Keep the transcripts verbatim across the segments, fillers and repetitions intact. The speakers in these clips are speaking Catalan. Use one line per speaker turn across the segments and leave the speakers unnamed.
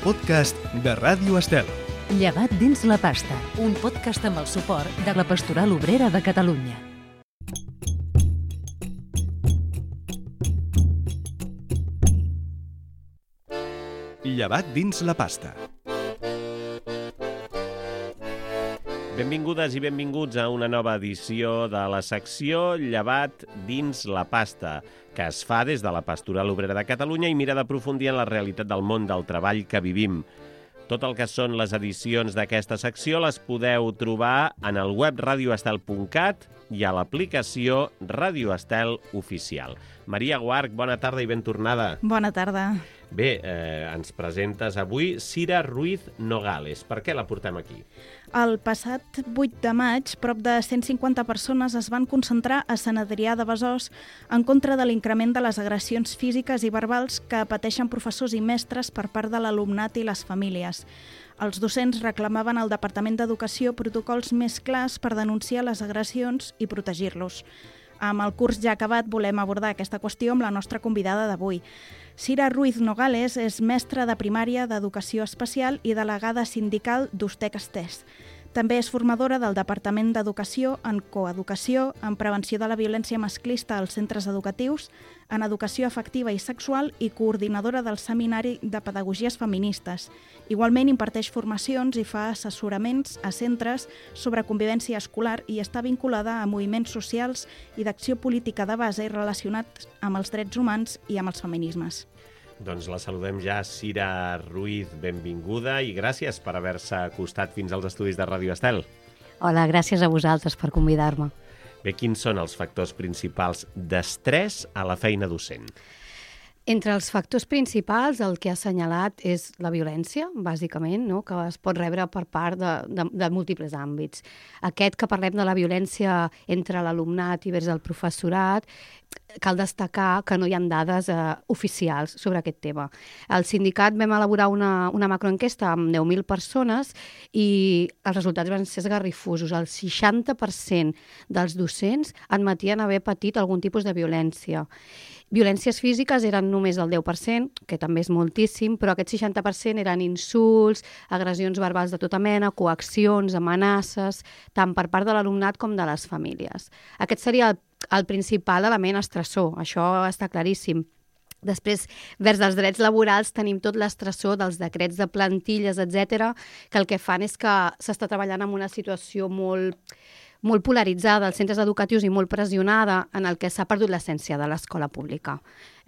podcast de Ràdio Estel.
Llevat dins la pasta, un podcast amb el suport de la Pastoral Obrera de Catalunya.
Llevat dins la pasta.
Benvingudes i benvinguts a una nova edició de la secció Llevat dins la pasta, que es fa des de la Pastoral Obrera de Catalunya i mira d'aprofundir en la realitat del món del treball que vivim. Tot el que són les edicions d'aquesta secció les podeu trobar en el web radio estel punt cat i a l'aplicació Ràdio Estel Oficial. Maria Guarch, bona tarda i ben tornada.
Bona tarda.
Bé, eh, ens presentes avui Sira Ruiz Nogales. Per què la portem aquí?
El passat vuit de maig, prop de cent cinquanta persones es van concentrar a Sant Adrià de Besòs en contra de l'increment de les agressions físiques i verbals que pateixen professors i mestres per part de l'alumnat i les famílies. Els docents reclamaven al Departament d'Educació protocols més clars per denunciar les agressions i protegir-los. Amb el curs ja acabat volem abordar aquesta qüestió amb la nostra convidada d'avui. Sira Ruiz Nogales és mestra de primària d'Educació Especial i delegada sindical d'Ustec Estès. També és formadora del Departament d'Educació en coeducació, en prevenció de la violència masclista als centres educatius, en educació afectiva i sexual i coordinadora del Seminari de Pedagogies Feministes. Igualment imparteix formacions i fa assessoraments a centres sobre convivència escolar i està vinculada a moviments socials i d'acció política de base relacionats amb els drets humans i amb els feminismes.
Doncs la saludem ja, Sira Ruiz, benvinguda i gràcies per haver-se acostat fins als estudis de Ràdio Estel.
Hola, gràcies a vosaltres per convidar-me.
Bé, quins són els factors principals d'estrès a la feina docent?
Entre els factors principals, el que ha assenyalat és la violència, bàsicament, no? Que es pot rebre per part de, de, de múltiples àmbits. Aquest que parlem de la violència entre l'alumnat i vers el professorat, cal destacar que no hi ha dades eh, oficials sobre aquest tema. Al sindicat vam elaborar una, una macroenquesta amb deu mil persones i els resultats van ser esgarrifosos. El seixanta per cent dels docents admetien haver patit algun tipus de violència. Violències físiques eren només el deu per cent, que també és moltíssim, però aquest seixanta per cent eren insults, agressions verbals de tota mena, coaccions, amenaces, tant per part de l'alumnat com de les famílies. Aquest seria el, el principal element estressor, això està claríssim. Després, vers els drets laborals, tenim tot l'estressor dels decrets de plantilles, etcètera, que el que fan és que s'està treballant en una situació molt... molt polaritzada als centres educatius i molt pressionada, en el que s'ha perdut l'essència de l'escola pública.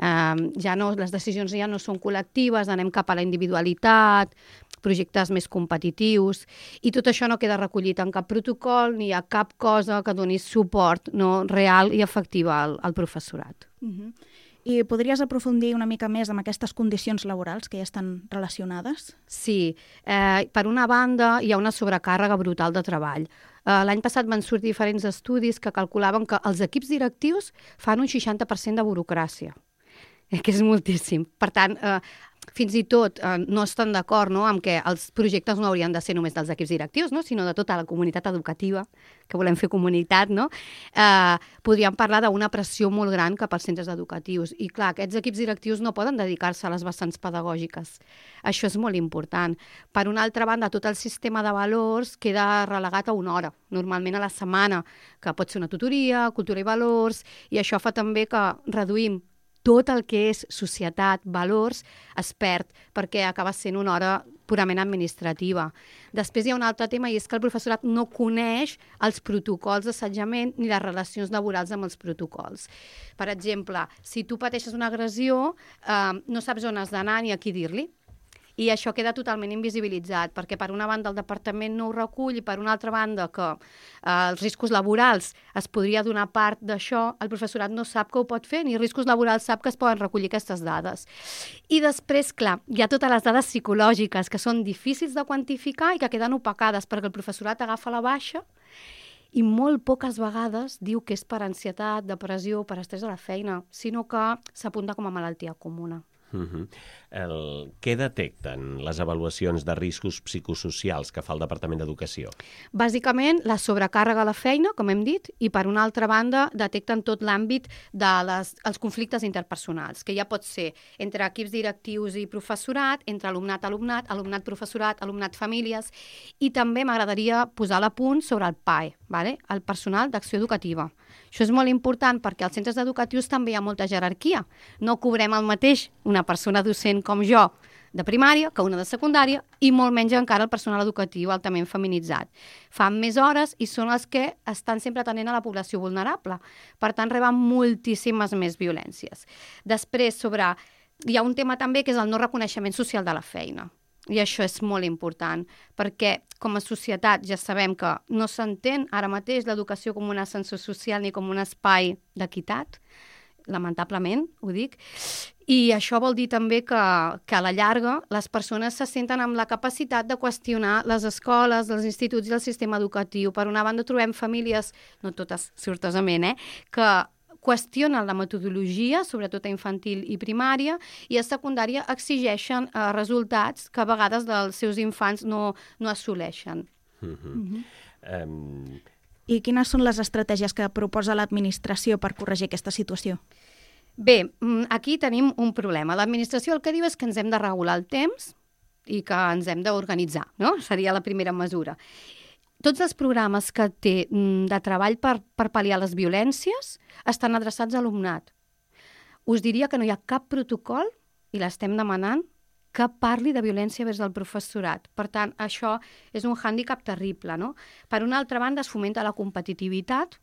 Eh, ja no, les decisions ja no són col·lectives, anem cap a la individualitat, projectes més competitius, i tot això no queda recollit en cap protocol ni hi ha cap cosa que doni suport no, real i efectiu al, al professorat.
Uh-huh. I podries aprofundir una mica més amb aquestes condicions laborals que ja estan relacionades?
Sí. Eh, per una banda, hi ha una sobrecàrrega brutal de treball. Eh, l'any passat van sortir diferents estudis que calculaven que els equips directius fan un seixanta per cent de burocràcia, eh, que és moltíssim. Per tant, eh, fins i tot eh, no estan d'acord no, amb que els projectes no haurien de ser només dels equips directius, no, sinó de tota la comunitat educativa, que volem fer comunitat, no? Eh, podríem parlar d'una pressió molt gran cap als centres educatius. I clar, aquests equips directius no poden dedicar-se a les vessants pedagògiques. Això és molt important. Per una altra banda, tot el sistema de valors queda relegat a una hora, normalment a la setmana, que pot ser una tutoria, cultura i valors, i això fa també que reduïm tot el que és societat, valors, es perd, perquè acaba sent una hora purament administrativa. Després hi ha un altre tema, i és que el professorat no coneix els protocols d'assetjament ni les relacions laborals amb els protocols. Per exemple, si tu pateixes una agressió, eh, no saps on has d'anar ni a qui dir-li. I això queda totalment invisibilitzat, perquè per una banda el departament no ho recull i per una altra banda que eh, els riscos laborals es podria donar part d'això, el professorat no sap que ho pot fer, ni riscos laborals sap que es poden recollir aquestes dades. I després, clar, hi ha totes les dades psicològiques que són difícils de quantificar i que queden opacades perquè el professorat agafa la baixa i molt poques vegades diu que és per ansietat, depressió, per estrès a la feina, sinó que s'apunta com a malaltia comuna.
Uh-huh. El... Què detecten les avaluacions de riscos psicosocials que fa el Departament d'Educació?
Bàsicament, la sobrecàrrega a la feina, com hem dit, i per una altra banda detecten tot l'àmbit dels conflictes interpersonals, que ja pot ser entre equips directius i professorat, entre alumnat-alumnat, alumnat-professorat, alumnat-famílies, i també m'agradaria posar l'apunt sobre el P A E, vale? El personal d'acció educativa. Això és molt important perquè als centres educatius també hi ha molta jerarquia. No cobrem el mateix una persona docent com jo de primària que una de secundària i molt menys encara el personal educatiu altament feminitzat. Fan més hores i són els que estan sempre atenent a la població vulnerable. Per tant, reben moltíssimes més violències. Després, sobre... hi ha un tema també que és el no reconeixement social de la feina. I això és molt important, perquè com a societat ja sabem que no s'entén ara mateix l'educació com un ascensor social ni com un espai d'equitat, lamentablement, ho dic, i això vol dir també que, que a la llarga les persones se senten amb la capacitat de qüestionar les escoles, els instituts i el sistema educatiu. Per una banda trobem famílies, no totes sortosament, eh, que qüestionen la metodologia, sobretot a infantil i primària, i a secundària exigeixen eh, resultats que a vegades dels seus infants no, no assoleixen.
Mm-hmm. Mm-hmm. Um...
I quines són les estratègies que proposa l'administració per corregir aquesta situació?
Bé, aquí tenim un problema. L'administració el que diu és que ens hem de regular el temps i que ens hem d'organitzar, no? Seria la primera mesura. Tots els programes que té de treball per, per pal·liar les violències estan adreçats a alumnat. Us diria que no hi ha cap protocol, i l'estem demanant, que parli de violència vers el professorat. Per tant, això és un hàndicap terrible, no? Per una altra banda, es fomenta la competitivitat,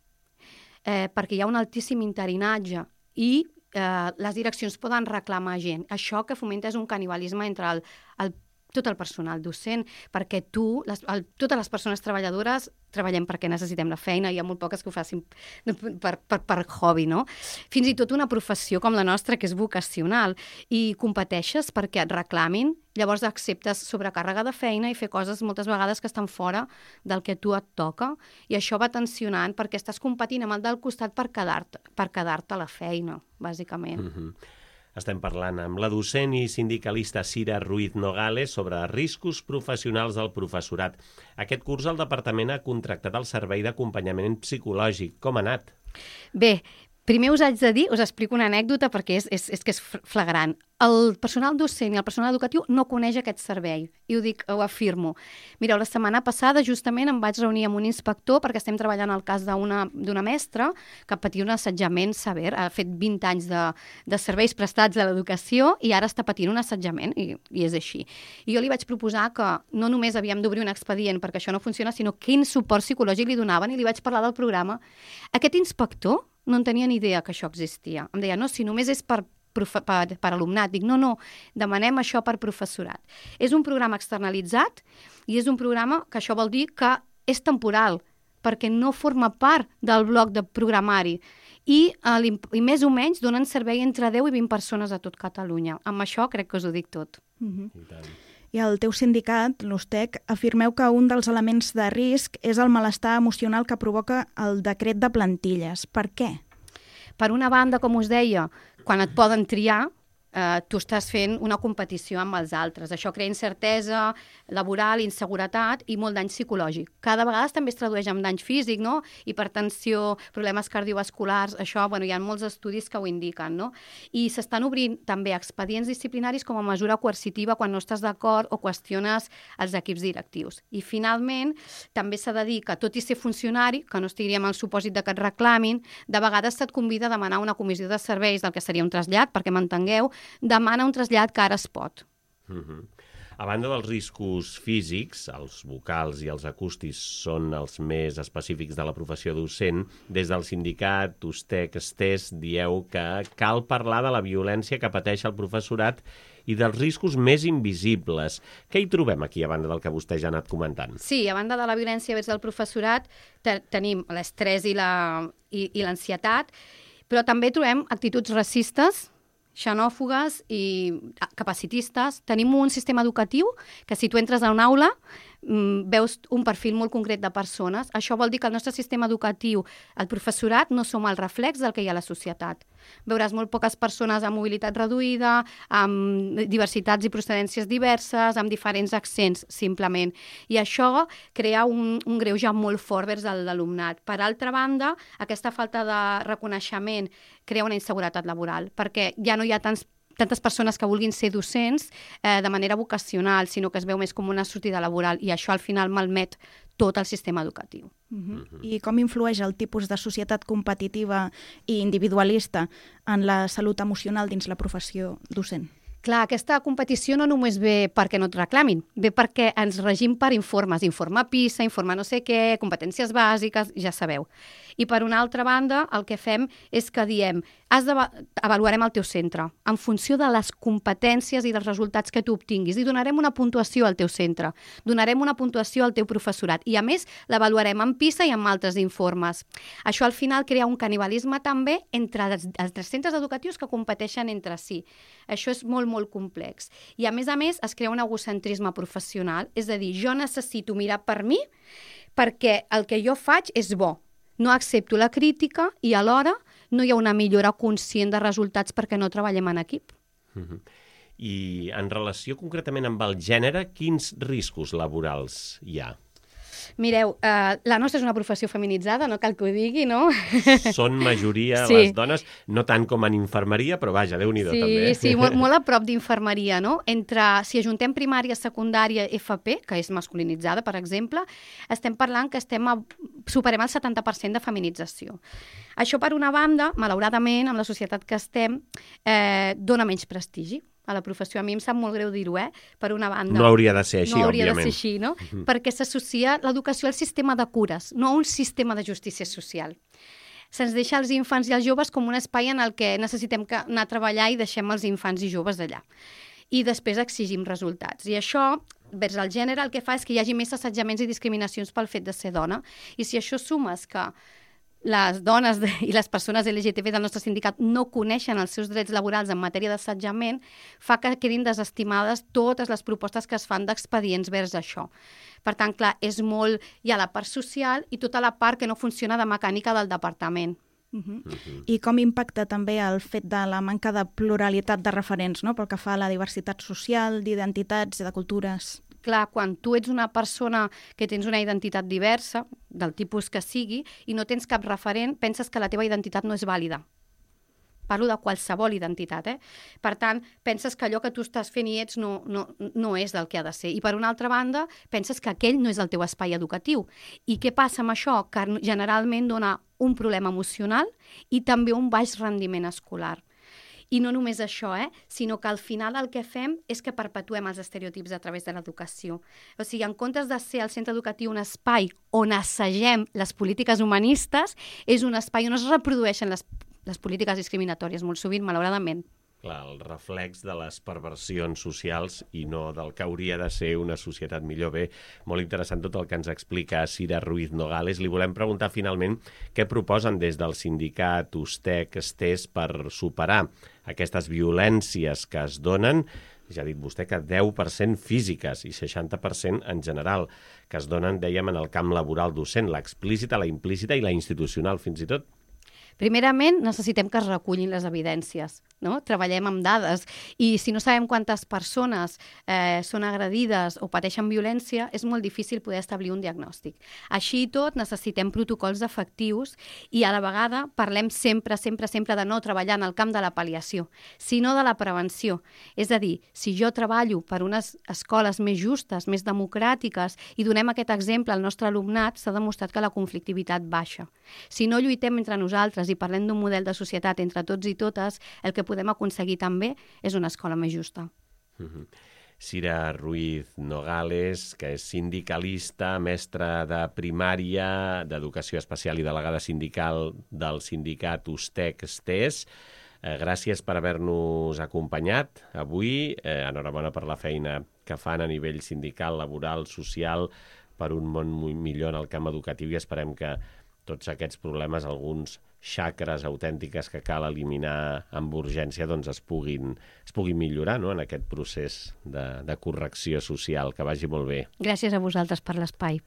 eh, perquè hi ha un altíssim interinatge i eh, les direccions poden reclamar gent. Això que fomenta és un canibalisme entre el, el tot el personal docent, perquè tu, les, el, totes les persones treballadores treballem perquè necessitem la feina, hi ha molt poques que ho facin per, per, per hobby, no? Fins i tot una professió com la nostra, que és vocacional, i competeixes perquè et reclamin, llavors acceptes sobrecàrrega de feina i fer coses moltes vegades que estan fora del que tu et toca, i això va tensionant perquè estàs competint amb el del costat per quedar-te per quedar-te a la feina, bàsicament.
Mm-hmm. Estem parlant amb la docent i sindicalista Cira Ruiz Nogales sobre riscos professionals del professorat. Aquest curs el departament ha contractat el servei d'acompanyament psicològic. Com ha anat?
Bé, primer us haig de dir, us explico una anècdota perquè és, és, és que és flagrant. El personal docent i el personal educatiu no coneix aquest servei, i ho dic, ho afirmo. Mireu, la setmana passada justament em vaig reunir amb un inspector perquè estem treballant el cas d'una d'una mestra que patia un assetjament sever, ha fet vint anys de, de serveis prestats a l'educació i ara està patint un assetjament, i, i és així. I jo li vaig proposar que no només havíem d'obrir un expedient perquè això no funciona, sinó quin suport psicològic li donaven, i li vaig parlar del programa. Aquest inspector no en tenia ni idea que això existia. Em deia, no, si només és per Per, per alumnat. Dic, no, no, demanem això per professorat. És un programa externalitzat i és un programa que això vol dir que és temporal, perquè no forma part del bloc de programari i, eh, i més o menys donen servei entre deu i vint persones a tot Catalunya. Amb això crec que us ho dic tot.
Mm-hmm. I el teu sindicat, l'U S T E C, afirmeu que un dels elements de risc és el malestar emocional que provoca el decret de plantilles. Per què?
Per una banda, com us deia, quan et poden triar, eh, tu estàs fent una competició amb els altres. Això crea incertesa laboral, inseguretat i molt dany psicològic. Cada vegada també es tradueix en dany físic, no? Hipertensió, problemes cardiovasculars, això, bueno, hi ha molts estudis que ho indiquen, no? I s'estan obrint també expedients disciplinaris com a mesura coercitiva quan no estàs d'acord o qüestiones els equips directius. I finalment, també s'ha de dir que tot i ser funcionari, que no estiguem al supòsit de que et reclamin, de vegades se't convida a demanar una comissió de serveis del que seria un trasllat, perquè m'entengueu, demana un trasllat que ara es pot.
Mm-hmm. A banda dels riscos físics, els vocals i els acústics són els més específics de la professió docent. Des del sindicat U S T E C Estés dieu que cal parlar de la violència que pateix el professorat i dels riscos més invisibles. Què hi trobem aquí, a banda del que vostè ja ha anat comentant?
Sí, a banda de la violència vers el professorat, te tenim l'estrès i l'ansietat, però també trobem actituds racistes, xenòfogues i capacitistes. Tenim un sistema educatiu que si tu entres a una aula veus un perfil molt concret de persones. Això vol dir que el nostre sistema educatiu, el professorat, no som el reflex del que hi ha a la societat. Veuràs molt poques persones amb mobilitat reduïda, amb diversitats i procedències diverses, amb diferents accents, simplement. I això crea un, un greuge molt fort vers l'alumnat. Per altra banda, aquesta falta de reconeixement crea una inseguretat laboral, perquè ja no hi ha tants tantes persones que vulguin ser docents eh, de manera vocacional, sinó que es veu més com una sortida laboral, i això al final malmet tot el sistema educatiu.
Uh-huh. I com influeix el tipus de societat competitiva i individualista en la salut emocional dins la professió docent?
Clar, aquesta competició no només ve perquè no et reclamin, ve perquè ens regim per informes, informe PISA, informe no sé què, competències bàsiques, ja sabeu. I per una altra banda, el que fem és que diem, has de, avaluarem el teu centre en funció de les competències i dels resultats que tu obtinguis, i donarem una puntuació al teu centre, donarem una puntuació al teu professorat, i a més l'avaluarem en PISA i en altres informes. Això al final crea un canibalisme també entre els, els centres educatius que competeixen entre si. Això és molt, molt complex. I a més a més es crea un egocentrisme professional, és a dir, jo necessito mirar per mi perquè el que jo faig és bo. No accepto la crítica i alhora no hi ha una millora conscient de resultats perquè no treballem en equip.
Uh-huh. I en relació concretament amb el gènere, quins riscos laborals hi ha?
Mireu, eh, la nostra és una professió feminitzada, no cal que ho digui, no?
Són majoria
sí.
les dones, no tant com en infermeria, però vaja, Déu-n'hi-do
sí,
també.
Sí, molt, molt a prop d'infermeria, no? Entre, si ajuntem primària, secundària, F P, que és masculinitzada, per exemple, estem parlant que estem a, superem el setanta per cent de feminització. Això, per una banda, malauradament, amb la societat que estem, eh, dona menys prestigi a la professió. A mi em sap molt greu dir-ho, eh? Per una banda.
No hauria de ser així,
no hauria
òbviament.
de ser així, no? Uh-huh. Perquè s'associa l'educació al sistema de cures, no a un sistema de justícia social. Se'ns deixa els infants i els joves com un espai en el que necessitem anar a treballar i deixem els infants i joves allà. I després exigim resultats. I això, vers el gènere, el que fa és que hi hagi més assetjaments i discriminacions pel fet de ser dona. I si això sumes que les dones de, i les persones L G T B del nostre sindicat no coneixen els seus drets laborals en matèria d'assetjament, fa que quedin desestimades totes les propostes que es fan d'expedients vers això. Per tant, clar, és molt... Hi ha la part social i tota la part que no funciona de mecànica del departament.
Uh-huh. Uh-huh. I com impacta també el fet de la manca de pluralitat de referents, no? Pel que fa a la diversitat social, d'identitats i de cultures?
Clar, quan tu ets una persona que tens una identitat diversa, del tipus que sigui, i no tens cap referent, penses que la teva identitat no és vàlida. Parlo de qualsevol identitat, eh? Per tant, penses que allò que tu estàs fent i ets no, no, no és del que ha de ser. I per una altra banda, penses que aquell no és el teu espai educatiu. I què passa amb això? Que generalment dona un problema emocional i també un baix rendiment escolar. I no només això, eh? Sinó que al final el que fem és que perpetuem els estereotips a través de l'educació. O sigui, en comptes de ser el centre educatiu un espai on assagem les polítiques humanistes, és un espai on es reprodueixen les, les polítiques discriminatòries, molt sovint, malauradament.
Clar, el reflex de les perversions socials i no del que hauria de ser una societat millor. Bé, molt interessant tot el que ens explica Sira Ruiz Nogales. Li volem preguntar finalment què proposen des del sindicat USTEC-STES per superar aquestes violències que es donen, ja ha dit vostè que deu per cent físiques i seixanta per cent en general, que es donen, dèiem, en el camp laboral docent, l'explícita, la implícita i la institucional, fins i tot.
Primerament, necessitem que es recullin les evidències, no? Treballem amb dades i si no sabem quantes persones eh, són agredides o pateixen violència, és molt difícil poder establir un diagnòstic. Així i tot, necessitem protocols efectius i a la vegada parlem sempre, sempre, sempre de no treballar en el camp de la pal·liació, sinó de la prevenció. És a dir, si jo treballo per unes escoles més justes, més democràtiques i donem aquest exemple al nostre alumnat, s'ha demostrat que la conflictivitat baixa. Si no lluitem entre nosaltres i parlem d'un model de societat entre tots i totes, el que podem aconseguir també és una escola més justa.
Uh-huh. Sira Ruiz Nogales, que és sindicalista, mestra de primària, d'educació especial i delegada sindical del sindicat USTEC-STES. Eh, gràcies per haver-nos acompanyat avui. Eh, enhorabona per la feina que fan a nivell sindical, laboral, social, per un món molt millor en el camp educatiu i esperem que tots aquests problemes, alguns xacres autèntiques que cal eliminar amb urgència, doncs es puguin, es puguin millorar, no?, en aquest procés de, de correcció social. Que vagi molt bé.
Gràcies a vosaltres per l'espai.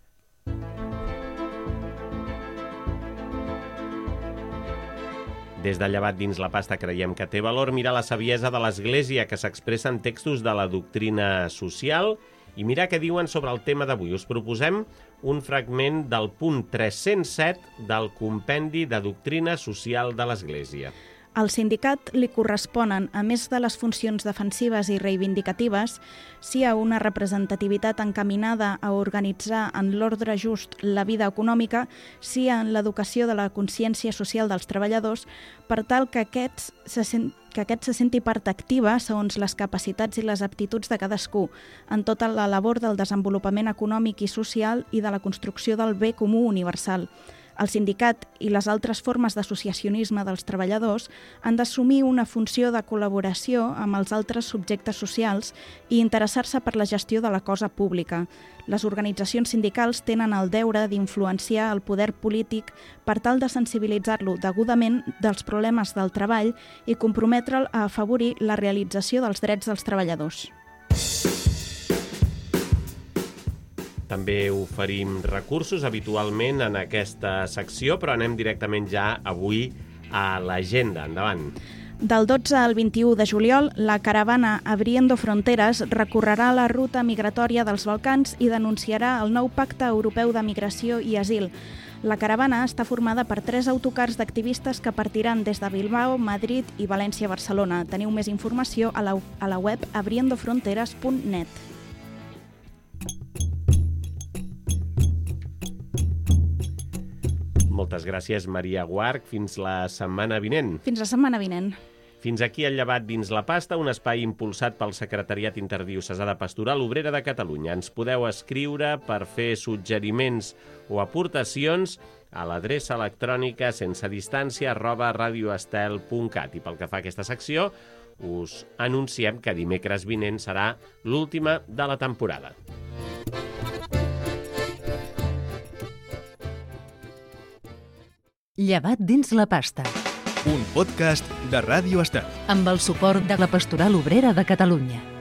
Des de Llevat dins la pasta creiem que té valor mirar la saviesa de l'Església que s'expressa en textos de la doctrina social i mirar què diuen sobre el tema d'avui. Us proposem un fragment del punt tres-cents set del Compendi de Doctrina Social de l'Església.
Al sindicat li corresponen, a més de les funcions defensives i reivindicatives, sí a una representativitat encaminada a organitzar en l'ordre just la vida econòmica, sí en l'educació de la consciència social dels treballadors, per tal que aquests se sent, que aquest se senti part activa segons les capacitats i les aptituds de cadascú, en tota la labor del desenvolupament econòmic i social i de la construcció del bé comú universal. El sindicat i les altres formes d'associacionisme dels treballadors han d'assumir una funció de col·laboració amb els altres subjectes socials i interessar-se per la gestió de la cosa pública. Les organitzacions sindicals tenen el deure d'influenciar el poder polític per tal de sensibilitzar-lo degudament dels problemes del treball i comprometre'l a afavorir la realització dels drets dels treballadors.
També oferim recursos habitualment en aquesta secció, però anem directament ja avui a l'agenda. Endavant.
Del dotze al vint-i-u de juliol, la caravana Abriendo Fronteras recorrerà la ruta migratòria dels Balcans i denunciarà el nou Pacte Europeu de Migració i Asil. La caravana està formada per tres autocars d'activistes que partiran des de Bilbao, Madrid i València-Barcelona. Teniu més informació a la, a la web abriendo fronteras punt net.
Moltes gràcies, Maria Guarch. Fins la setmana vinent.
Fins la setmana vinent.
Fins aquí el Llevat dins la pasta, un espai impulsat pel Secretariat Interdiocesà de Pastoral Obrera de Catalunya. Ens podeu escriure per fer suggeriments o aportacions a l'adreça electrònica sense distància arroba radioestel punt cat. I pel que fa a aquesta secció, us anunciem que dimecres vinent serà l'última de la temporada.
Llevat dins la pasta.
Un podcast de Ràdio Estel.
Amb el suport de la Pastoral Obrera de Catalunya.